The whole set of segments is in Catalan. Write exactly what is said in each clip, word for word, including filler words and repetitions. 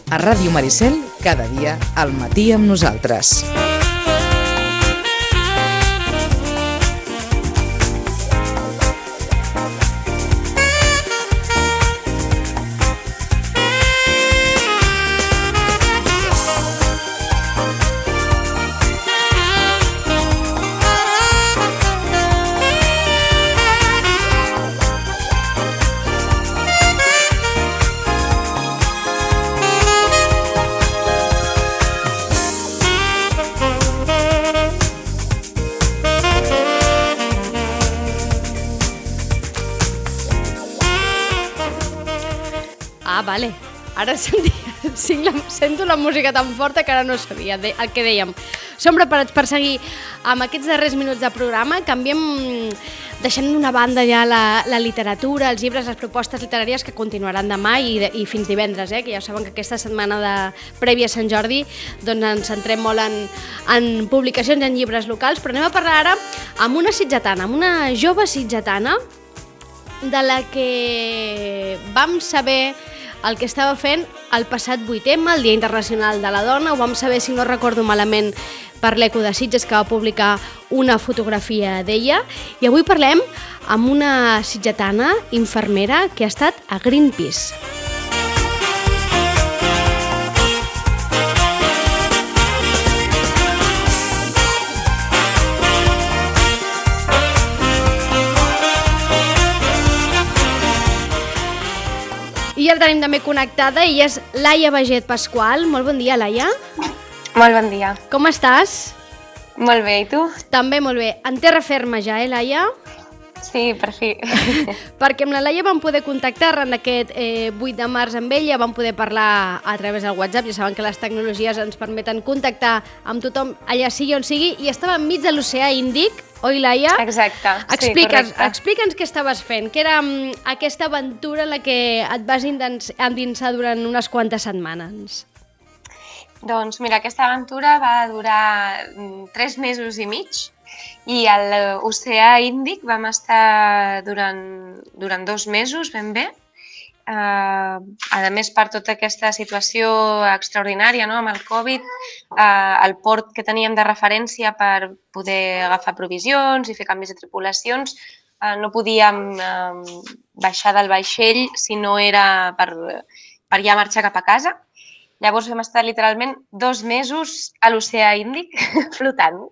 A Ràdio Maricel, cada dia al matí amb nosaltres. Vale, ara sento la música tan forta que ara no sabia el que dèiem. Som preparats per seguir amb aquests darrers minuts de programa. Canviem, deixem d'una banda ja la, la literatura, els llibres, les propostes literàries que continuaran demà i, i fins divendres, eh? Que ja saben que aquesta setmana de prèvia a Sant Jordi doncs ens centrem molt en, en publicacions i en llibres locals, però anem a parlar ara amb una sitgetana, amb una jove sitgetana de la que vam saber el que estava fent el passat vuit eme, el Dia Internacional de la Dona. Ho vam saber, si no recordo malament, per l'Eco de Sitges, que va publicar una fotografia d'ella. I avui parlem amb una sitgetana infermera que ha estat a Greenpeace. I el tenim també connectada, i és Laia Baget Pasqual. Molt bon dia, Laia. Molt bon dia. Com estàs? Molt bé, i tu? També molt bé. En terra ferma ja, eh, Laia? Sí, per fi. Perquè amb la Laia vam poder contactar en aquest eh, vuit de març amb ella, vam poder parlar a través del WhatsApp. Ja saben que les tecnologies ens permeten contactar amb tothom allà sigui on sigui, i estava enmig de l'oceà Índic. Oi, Laia? Exacte, explica'ns, sí, correcte. Explica'ns què estaves fent, què era um, aquesta aventura en la que et vas endinsar durant unes quantes setmanes. Doncs mira, aquesta aventura va durar tres mesos i mig, i a l'oceà Índic vam estar durant, durant dos mesos ben bé. Uh, a més, per tota aquesta situació extraordinària, no?, amb el Covid, uh, el port que teníem de referència per poder agafar provisions i fer canvis de tripulacions, uh, no podíem uh, baixar del vaixell si no era per, per ja marxar cap a casa. Llavors vam estar literalment dos mesos a l'oceà Índic flotant.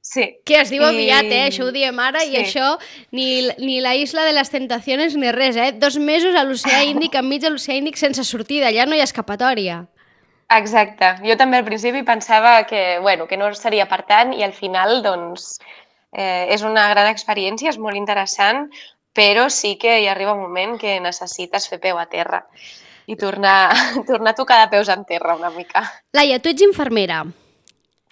Sí. Que es diu aviat, eh? Això ho diem ara, sí. I això ni, ni la Isla de les Tentaciones ni res, eh? Dos mesos a l'oceà Índic, enmig de l'oceà Índic, sense sortida, allà no hi ha escapatòria. Exacte. Jo també al principi pensava que, bueno, que no seria per tant, i al final, doncs, eh, és una gran experiència, és molt interessant, però sí que hi arriba un moment que necessites fer peu a terra i tornar, tornar a tocar de peus en terra una mica. Laia, tu ets infermera.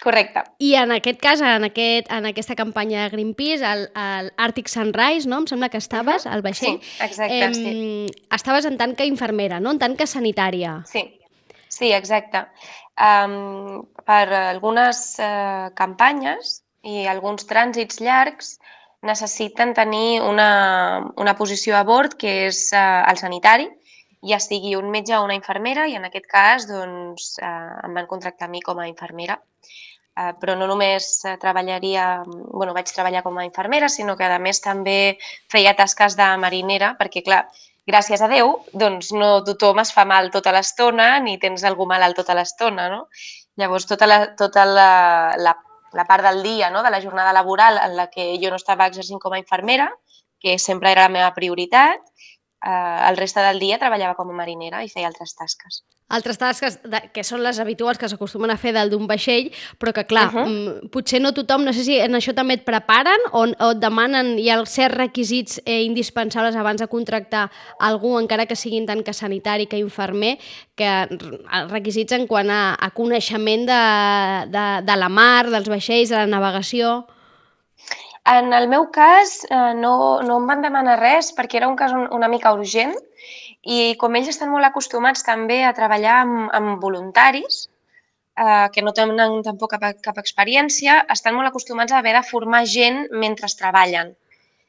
Correcte. I en aquest cas, en, aquest, en aquesta campanya de Greenpeace, al, al Arctic Sunrise, no? Em sembla que estaves, al vaixell. Sí, exacte, eh, sí. Estaves en tant que infermera, no? En tant que sanitària. Sí, sí, exacte. Um, per algunes uh, campanyes i alguns trànsits llargs necessiten tenir una, una posició a bord que és uh, el sanitari, ja sigui un metge o una infermera, i en aquest cas doncs, uh, em van contractar a mi com a infermera. Uh, però no només uh, treballaria, bueno, vaig treballar com a infermera, sinó que a més també feia tasques de marinera, perquè clar, gràcies a Déu, doncs no tothom es fa mal tota l'estona ni tens algú malalt tota l'estona, no? Llavors tota la, tota la, la, la part del dia, no?, de la jornada laboral en la que jo no estava exercint com a infermera, que sempre era la meva prioritat, Uh, el reste del dia treballava com a marinera i feia altres tasques. Altres tasques de, que són les habituals que s'acostumen a fer dalt d'un vaixell, però que clar, uh -huh. potser no tothom, no sé si en això també et preparen o, o et demanen, hi ha certs requisits eh, indispensables abans de contractar algú, encara que siguin tant que sanitari que infermer, que requisits en quant a, a coneixement de, de, de la mar, dels vaixells, de la navegació. En el meu cas no, no em van demanar res perquè era un cas una mica urgent, i com ells estan molt acostumats també a treballar amb, amb voluntaris, eh, que no tenen tampoc cap, cap experiència, estan molt acostumats a haver de formar gent mentre treballen.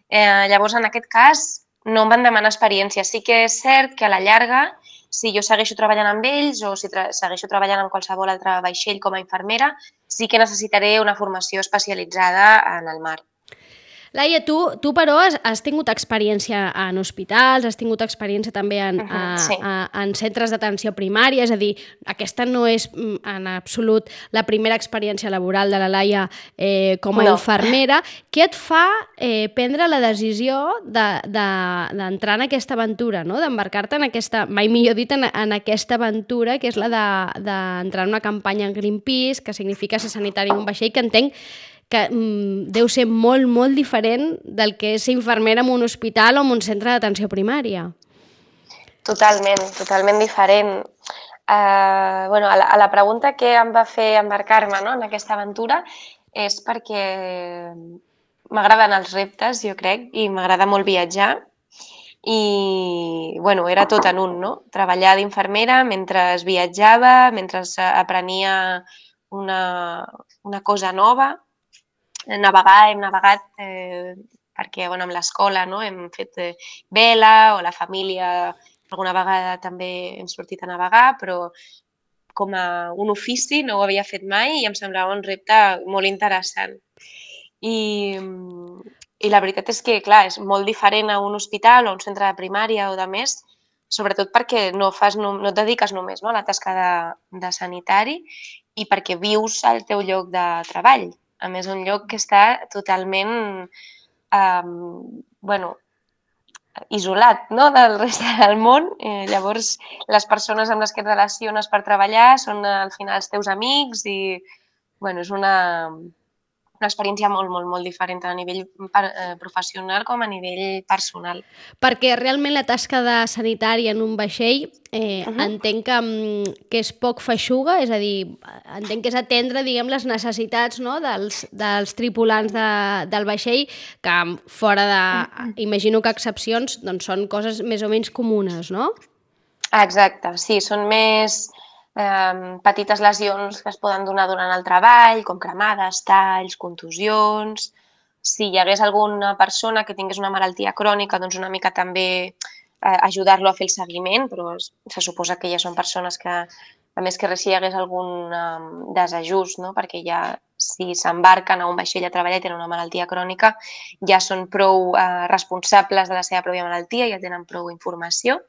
Eh, llavors, en aquest cas, no em van demanar experiència. Sí que és cert que a la llarga si jo segueixo treballant amb ells o si tra segueixo treballant amb qualsevol altre vaixell com a infermera, sí que necessitaré una formació especialitzada en el mar. Laia, tu, tu però has, has tingut experiència en hospitals, has tingut experiència també en, Uh -huh, a, sí. a, en centres d'atenció primària, és a dir, aquesta no és en absolut la primera experiència laboral de la Laia eh, com a No. infermera. Què et fa eh, prendre la decisió d'entrar de, de, en aquesta aventura, no? D'embarcar-te en aquesta, mai millor dit, en, en aquesta aventura, que és la d'entrar de, de en una campanya en Greenpeace, que significa ser sanitari en un vaixell, que entenc que mm, deu ser molt, molt diferent del que és ser infermera en un hospital o en un centre d'atenció primària. Totalment, totalment diferent. Uh, bueno, a, la, a la pregunta que em va fer embarcar-me, no, en aquesta aventura és perquè m'agraden els reptes, jo crec, i m'agrada molt viatjar. I, bueno, era tot en un, no? Treballar d'infermera mentre viatjava, mentre aprenia una, una cosa nova. Navegar, hem navegat eh, perquè bueno, amb l'escola no? Hem fet eh, vela o la família alguna vegada també hem sortit a navegar, però com a un ofici no ho havia fet mai i em semblava un repte molt interessant. I, i la veritat és que, clar, és molt diferent a un hospital o a un centre de primària o de més, sobretot perquè no, fas, no, no et dediques només no, a la tasca de, de sanitari i perquè vius al teu lloc de treball. A més, un lloc que està totalment eh, bueno, isolat no? Del rest del món. Eh, llavors, les persones amb les que et relaciones per treballar són al final els teus amics i bueno, és una, una experiència molt, molt, molt diferent tant a nivell eh, professional com a nivell personal. Perquè realment la tasca de sanitari en un vaixell eh, uh -huh. entenc que, que és poc feixuga, és a dir, entenc que és atendre, diguem, les necessitats no, dels, dels tripulants de, del vaixell, que fora de, uh -huh. imagino que excepcions, doncs són coses més o menys comunes, no? Exacte, sí, són més eh, petites lesions que es poden donar durant el treball, com cremades, talls, contusions. Si hi hagués alguna persona que tingués una malaltia crònica, doncs una mica també eh, ajudar-lo a fer el seguiment, però se suposa que ja són persones que, a més que res, si hi hagués algun um, desajust, no? Perquè ja si s'embarquen a un vaixell a treballar i tenen una malaltia crònica, ja són prou eh, responsables de la seva pròpia malaltia, ja tenen prou informació.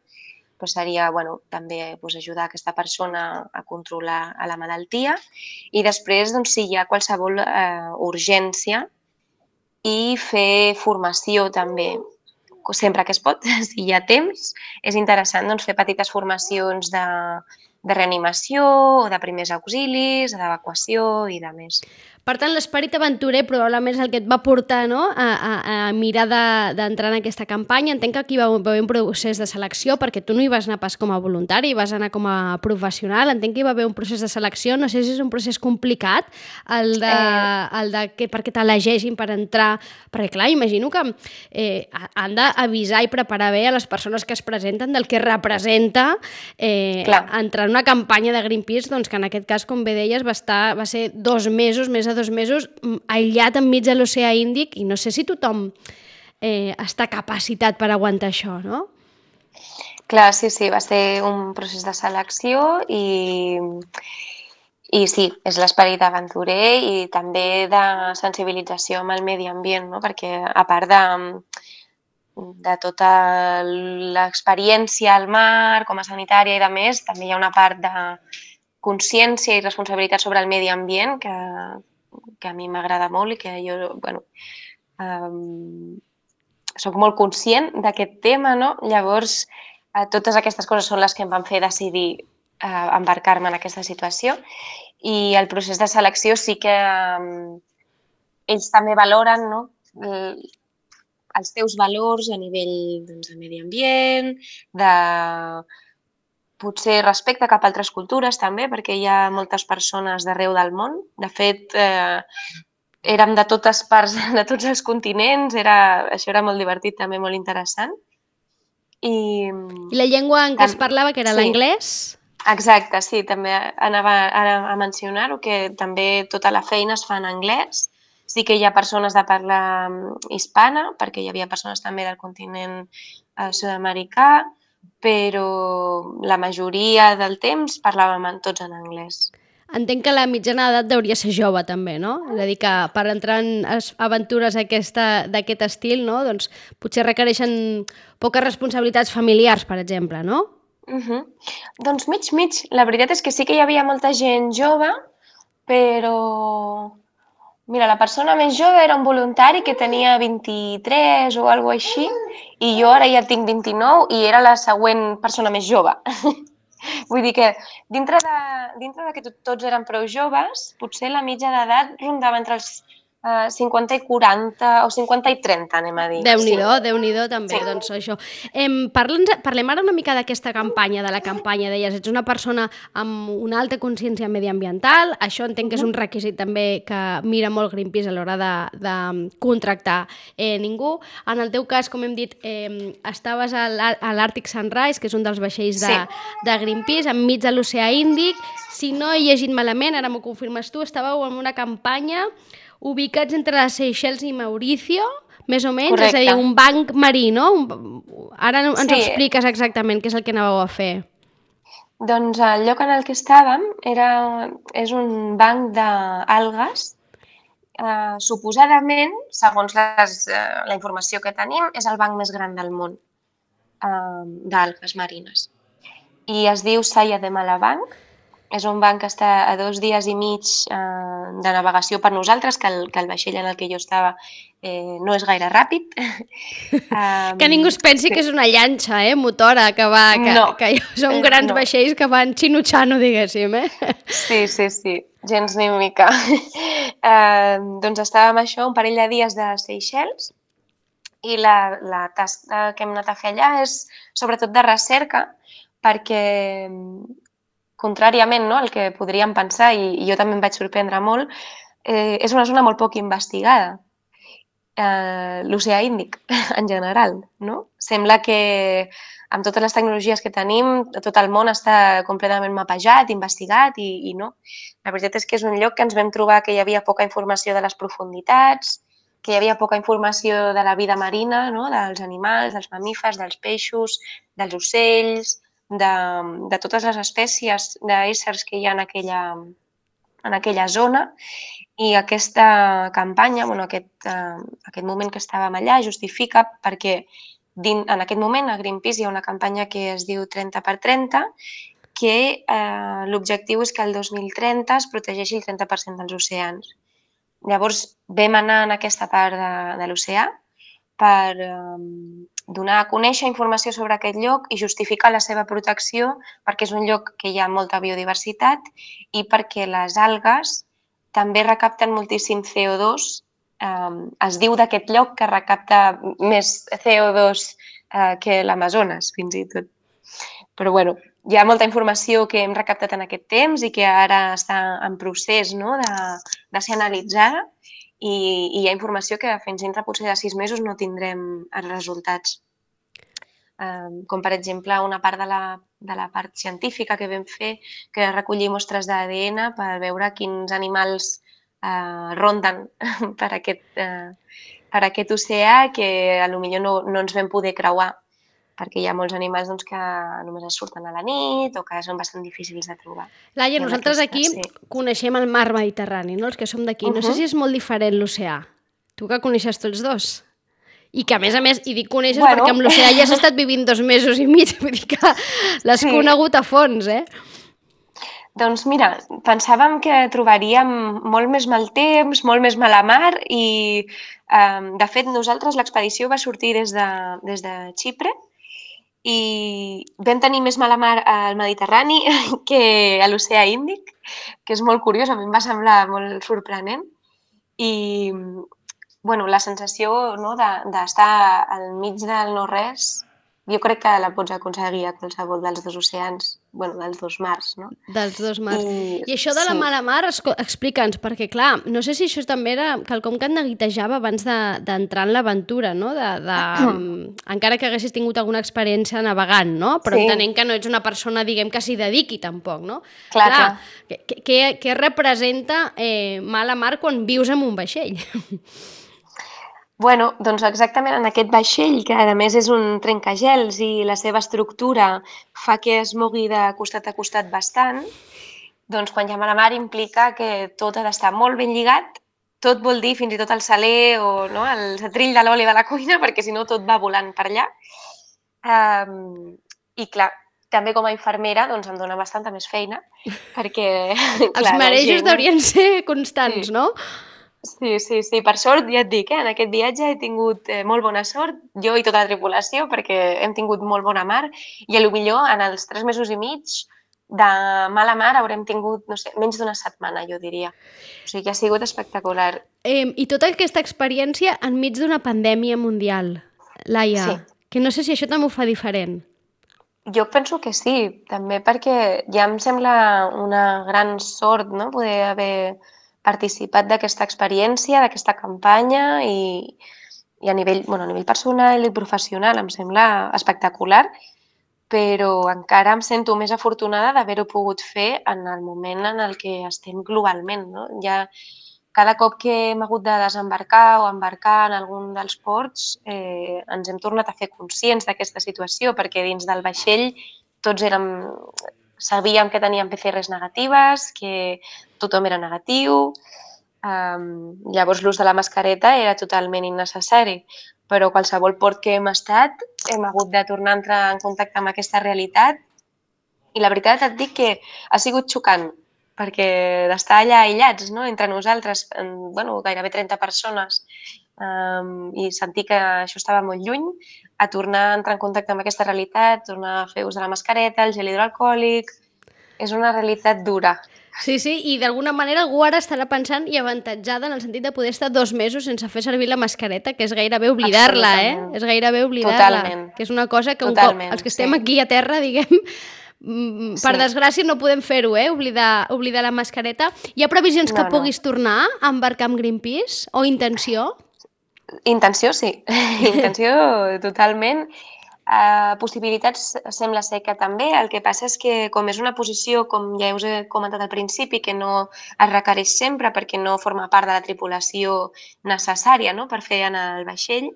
Però seria bueno, també doncs, ajudar aquesta persona a controlar a la malaltia i després, doncs, si hi ha qualsevol eh, urgència i fer formació també, sempre que es pot, si hi ha temps, és interessant doncs, fer petites formacions de, de reanimació o de primers auxilis, d'evacuació i de més. Per tant, l'esperit aventurer probablement és el que et va portar no? a, a, a mirar d'entrar de, en aquesta campanya. Entenc que aquí va haver un procés de selecció, perquè tu no hi vas anar pas com a voluntari, vas anar com a professional. Entenc que hi va haver un procés de selecció. No sé si és un procés complicat el de, eh... el de que, perquè t'elegeixin per entrar. Perquè, clar, imagino que eh, han d'avisar i preparar bé a les persones que es presenten del que representa eh, entrar en una campanya de Greenpeace, doncs, que en aquest cas, com bé deies, va, estar, va ser dos mesos, més de dos mesos, aïllat enmig de l'oceà Índic, i no sé si tothom eh, està capacitat per aguantar això, no? Clar, sí, sí, va ser un procés de selecció i, i sí, és l'esperit aventurer i també de sensibilització amb el medi ambient, no? Perquè a part de, de tota l'experiència al mar, com a sanitària i de més, també hi ha una part de consciència i responsabilitat sobre el medi ambient que que a mi m'agrada molt i que jo, bueno, um, soc molt conscient d'aquest tema, no? Llavors, uh, totes aquestes coses són les que em van fer decidir uh, embarcar-me en aquesta situació i el procés de selecció sí que um, ells també valoren, no? El, els teus valors a nivell doncs, de medi ambient, de potser respecte cap a altres cultures també, perquè hi ha moltes persones d'arreu del món. De fet, eh, érem de totes parts, de tots els continents, era, això era molt divertit, també molt interessant. I, I la llengua en què es parlava, que era sí. l'anglès? Exacte, sí, també anava a, a mencionar-ho, que també tota la feina es fa en anglès. Sí que hi ha persones de parla hispana, perquè hi havia persones també del continent eh, sud-americà, però la majoria del temps parlàvem tots en anglès. Entenc que la mitjana d'edat hauria ser jove, també, no? És a dir, que per entrar en aventures d'aquest estil, no? Doncs potser requereixen poques responsabilitats familiars, per exemple, no? Uh -huh. Doncs mig, mig. La veritat és que sí que hi havia molta gent jove, però... Mira, la persona més jove era un voluntari que tenia vint-i-tres o alguna cosa així, i jo ara ja tinc vint-i-nou i era la següent persona més jove. Vull dir que dintre de, dintre de que tots eren prou joves, potser la mitja d'edat rondava entre els uh, cinquanta i quaranta o cinquanta i trenta, anem a dir. Déu-n'hi-do, sí. Déu-n'hi-do també, sí. Doncs això. Em, parlem, parlem ara una mica d'aquesta campanya, de la campanya, deies, ets una persona amb una alta consciència mediambiental, això entenc que és un requisit també que mira molt Greenpeace a l'hora de, de contractar eh, ningú. En el teu cas, com hem dit, eh, estaves a l'Arctic Sunrise, que és un dels vaixells de, sí. de Greenpeace, enmig de l'oceà Índic. Si no he llegit malament, ara m'ho confirmes tu, estàveu en una campanya ubicats entre les Seychelles i Mauricio, més o menys, correcte. És a dir, un banc marí, no? Un... Ara ens sí. expliques exactament què és el que anàveu a fer. Doncs el lloc en el que estàvem era, és un banc d'algues. Uh, suposadament, segons les, uh, la informació que tenim, és el banc més gran del món uh, d'algues marines. I es diu Saya de Malabanc. És un banc que està a dos dies i mig eh, de navegació per nosaltres, que el, que el vaixell en el que jo estava eh, no és gaire ràpid. um, que ningú es pensi sí. que és una llanxa, eh, motora, que va... Que, no. que són grans no. vaixells que van xinutxano, diguéssim, eh? Sí, sí, sí, gens ni mica. eh, doncs estàvem això, un parell de dies de Seychelles, i la, la tasca que hem anat a fer allà és sobretot de recerca, perquè... contràriament, no, al que podríem pensar, i, i jo també em vaig sorprendre molt, eh, és una zona molt poc investigada, eh, l'oceà Índic, en general, no? Sembla que amb totes les tecnologies que tenim, tot el món està completament mapejat, investigat, i, i no. La veritat és que és un lloc que ens vam trobar que hi havia poca informació de les profunditats, que hi havia poca informació de la vida marina, no? Dels animals, dels mamífers, dels peixos, dels ocells, De, de totes les espècies d'éssers que hi ha en aquella, en aquella zona, i aquesta campanya, bueno, aquest, uh, aquest moment que estàvem allà justifica perquè din, en aquest moment a Greenpeace hi ha una campanya que es diu trenta per trenta, que uh, l'objectiu és que el dos mil trenta es protegeixi el trenta per cent dels oceans. Llavors vam anar en aquesta part de, de l'oceà per um, donar a conèixer informació sobre aquest lloc i justificar la seva protecció, perquè és un lloc que hi ha molta biodiversitat i perquè les algues també recapten moltíssim C O dos. Um, es diu d'aquest lloc que recapta més C O dos uh, que l'Amazones, fins i tot. Però bueno, hi ha molta informació que hem recaptat en aquest temps i que ara està en procés, no? de, de ser analitzada. I, i hi ha informació que fins dintre potser de sis mesos no tindrem els resultats. Um, com per exemple una part de la, de la part científica que vam fer, que era recollir mostres d'A D N per veure quins animals uh, ronden per aquest, uh, per aquest oceà que potser no, no ens vam poder creuar, perquè hi ha molts animals doncs, que només es surten a la nit o que són bastant difícils de trobar. Laia, nosaltres aquí sí. coneixem el mar Mediterrani, no? Els que som d'aquí. No uh-huh. sé si és molt diferent l'oceà. Tu que coneixes tots dos. I que, a més a més, i dic coneixes bueno. perquè amb l'oceà ja has estat vivint dos mesos i mig, vull dir que l'has sí. conegut a fons, eh? Doncs mira, pensàvem que trobaríem molt més mal temps, molt més mala mar i, eh, de fet, nosaltres l'expedició va sortir des de, des de Xipre i vam tenir més mala mar al Mediterrani que a l'oceà Índic, que és molt curiós, a mi em va semblar molt sorprenent. I bueno, la sensació, no, d'estar al mig del no-res, jo crec que la pots aconseguir a qualsevol dels dos oceans, bueno, dels dos mars, no? Dels dos mars. I, I això de la sí. mala mar, explica'ns, perquè clar, no sé si això també era quelcom que et neguitejava abans d'entrar de, en l'aventura, no? De, de, encara que haguessis tingut alguna experiència navegant, no? Però sí. entenent que no ets una persona, diguem, que s'hi dediqui tampoc, no? Clar, clar. clar. Què, què representa eh, mala mar quan vius en un vaixell? Bueno, doncs exactament en aquest vaixell, que a més és un trencagels i la seva estructura fa que es mogui de costat a costat bastant, doncs quan hi ha mala mar implica que tot ha d'estar molt ben lligat, tot vol dir fins i tot el saler o no, el setrill de l'oli de la cuina, perquè si no tot va volant per allà. Um, I clar, també com a infermera doncs em dona bastanta més feina, perquè Els clar, la marejos gent... deurien ser constants, Sí. no? Sí, sí, sí. Per sort, ja et dic, eh, en aquest viatge he tingut eh, molt bona sort, jo i tota la tripulació, perquè hem tingut molt bona mar i potser en els tres mesos i mig de mala mar haurem tingut, no sé, menys d'una setmana, jo diria. O sigui que ha sigut espectacular. Eh, I tota aquesta experiència enmig d'una pandèmia mundial, Laia, Sí. que no sé si això també ho fa diferent. Jo penso que sí, també perquè ja em sembla una gran sort, no?, poder haver participat d'aquesta experiència, d'aquesta campanya i, i a nivell, bueno, a nivell personal i professional em sembla espectacular, però encara em sento més afortunada d'haver-ho pogut fer en el moment en el que estem globalment, no? Ja cada cop que hem hagut de desembarcar o embarcar en algun dels ports eh, ens hem tornat a fer conscients d'aquesta situació, perquè dins del vaixell tots érem, sabíem que teníem P C Rs negatives, que tothom era negatiu, um, llavors l'ús de la mascareta era totalment innecessari, però qualsevol port que hem estat hem hagut de tornar a entrar en contacte amb aquesta realitat i la veritat et dic que ha sigut xocant, perquè d'estar allà aïllats, no?, entre nosaltres, en, bueno, gairebé trenta persones, um, i sentir que això estava molt lluny, a tornar a entrar en contacte amb aquesta realitat, tornar a fer ús de la mascareta, el gel hidroalcohòlic... És una realitat dura. Sí, sí, i d'alguna manera algú ara estarà pensant i avantatjada en el sentit de poder estar dos mesos sense fer servir la mascareta, que és gairebé oblidar-la, eh? És gairebé oblidar-la. Totalment. Que és una cosa que un Totalment, cop, els que estem sí. aquí a terra, diguem, mm, per Sí. desgràcia no podem fer-ho, eh? Oblidar, oblidar la mascareta. Hi ha previsions que No, no. puguis tornar a embarcar amb Greenpeace? O intenció? Intenció, sí. Intenció, totalment. Uh, possibilitats sembla ser que també. El que passa és que, com és una posició, com ja us he comentat al principi, que no es requereix sempre perquè no forma part de la tripulació necessària, no?, per fer en el vaixell,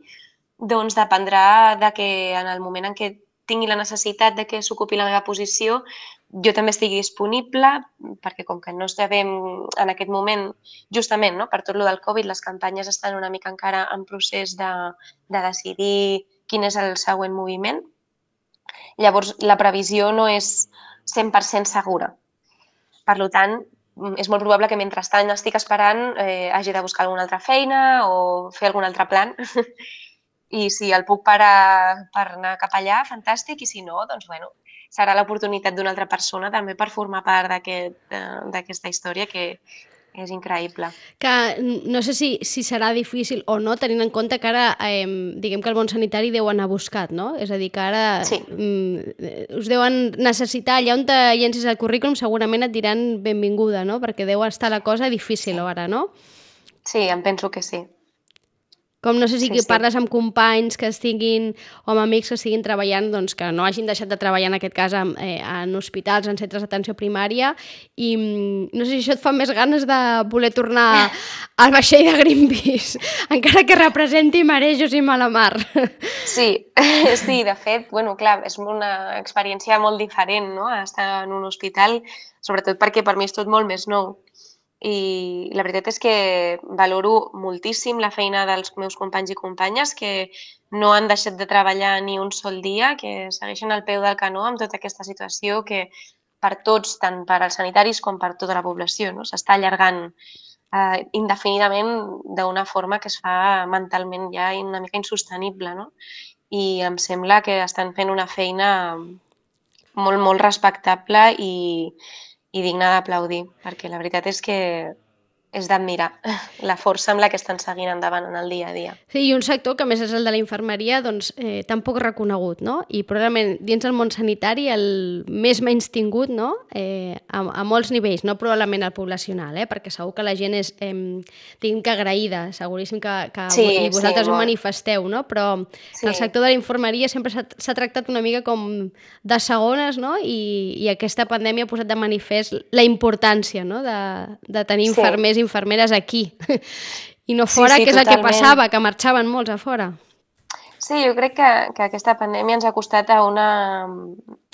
doncs dependrà de que en el moment en què tingui la necessitat de que s'ocupi la meva posició, jo també estigui disponible, perquè com que no sabem en aquest moment, justament, no?, per tot lo del Covid, les campanyes estan una mica encara en procés de, de decidir quin és el següent moviment. Llavors, la previsió no és cent per cent segura. Per tant, és molt probable que mentrestant estic esperant eh, hagi de buscar alguna altra feina o fer algun altre plan. I si el puc parar per anar cap allà, fantàstic, i si no, doncs bueno, serà l'oportunitat d'una altra persona també per formar part d'aquesta aquest, eh, història que és increïble. Que no sé si, si serà difícil o no, tenint en compte que ara, eh, diguem que el món sanitari deu anar buscat, no? És a dir, que ara sí. mm, us deuen necessitar, allà on te llencis el currículum segurament et diran benvinguda, no? Perquè deu estar la cosa difícil sí. ara, no? Sí, em penso que sí. Com no sé si sí, sí. sí. parles amb companys que estiguin, o amb amics que estiguin treballant, doncs que no hagin deixat de treballar en aquest cas en, eh, en hospitals, en centres d'atenció primària, i no sé si això et fa més ganes de voler tornar al vaixell de Greenpeace, encara que representi marejos i mala mar. Sí, sí, de fet, bueno, clar, és una experiència molt diferent, no?, estar en un hospital, sobretot perquè per mi és tot molt més nou. I la veritat és que valoro moltíssim la feina dels meus companys i companyes que no han deixat de treballar ni un sol dia, que segueixen al peu del canó amb tota aquesta situació que per tots, tant per als sanitaris com per tota la població, no?, s'està allargant eh, indefinidament d'una forma que es fa mentalment ja una mica insostenible, no? I em sembla que estan fent una feina molt, molt respectable i i digna d'aplaudir, perquè la veritat és que és d'admirar la força amb la que estan seguint endavant en el dia a dia. Sí, i un sector que, a més, és el de la infermeria, doncs, eh, tan poc reconegut, no? I probablement dins del món sanitari el més menys tingut, no?, eh, a, a molts nivells, no probablement el poblacional, eh? Perquè segur que la gent és, eh, diguem que agraïda, seguríssim que, que sí, i vosaltres sí, ho manifesteu, no? Però sí. el sector de la infermeria sempre s'ha tractat una mica com de segones, no? I, i aquesta pandèmia ha posat de manifest la importància, no?, de, de tenir infermers sí. infermeres aquí. I no fora, sí, sí, que és el que totalment. passava, que marxaven molts a fora. Sí, jo crec que, que aquesta pandèmia ens ha costat a una,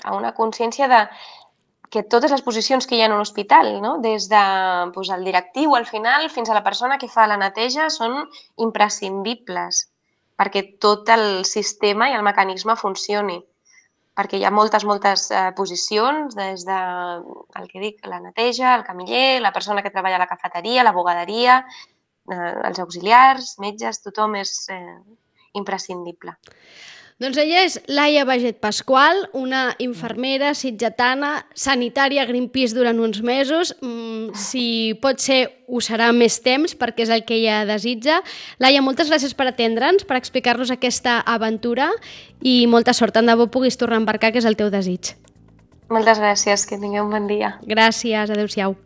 a una consciència de que totes les posicions que hi ha en un hospital, no? Des de doncs, el directiu al final fins a la persona que fa la neteja, són imprescindibles perquè tot el sistema i el mecanisme funcioni. Perquè hi ha moltes, moltes eh, posicions, des de, el que dic, la neteja, el camiller, la persona que treballa a la cafeteria, la bugaderia, eh, els auxiliars, metges, tothom és eh, imprescindible. Doncs ella és Laia Baget Pasqual, una infermera sitgetana, sanitària a Greenpeace durant uns mesos. Mm, si pot ser, ho serà més temps, perquè és el que ella desitja. Laia, moltes gràcies per atendre'ns, per explicar-nos aquesta aventura i molta sort. Tant de bo puguis tornar a embarcar, que és el teu desig. Moltes gràcies, que tingueu un bon dia. Gràcies, adeu-siau.